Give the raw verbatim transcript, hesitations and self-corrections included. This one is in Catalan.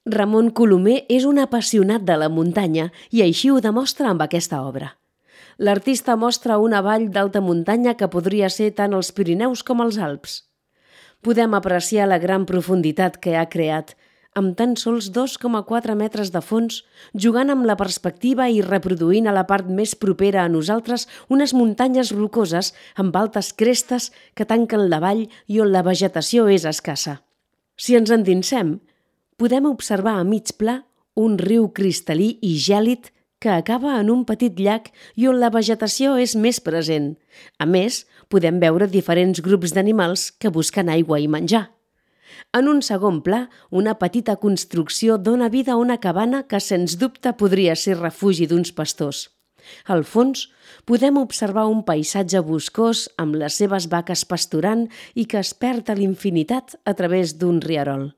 Ramon Colomer és un apassionat de la muntanya i així ho demostra amb aquesta obra. L'artista mostra una vall d'alta muntanya que podria ser tant els Pirineus com els Alps. Podem apreciar la gran profunditat que ha creat, amb tan sols dos coma quatre metres de fons, jugant amb la perspectiva i reproduint a la part més propera a nosaltres unes muntanyes rocoses amb altes crestes que tanquen la vall i on la vegetació és escassa. Si ens endinsem, podem observar a mig pla un riu cristal·lí i gèlid que acaba en un petit llac i on la vegetació és més present. A més, podem veure diferents grups d'animals que busquen aigua i menjar. En un segon pla, una petita construcció dona vida a una cabana que, sens dubte, podria ser refugi d'uns pastors. Al fons, podem observar un paisatge boscós amb les seves vaques pasturant i que es perd a l'infinitat a través d'un rierol.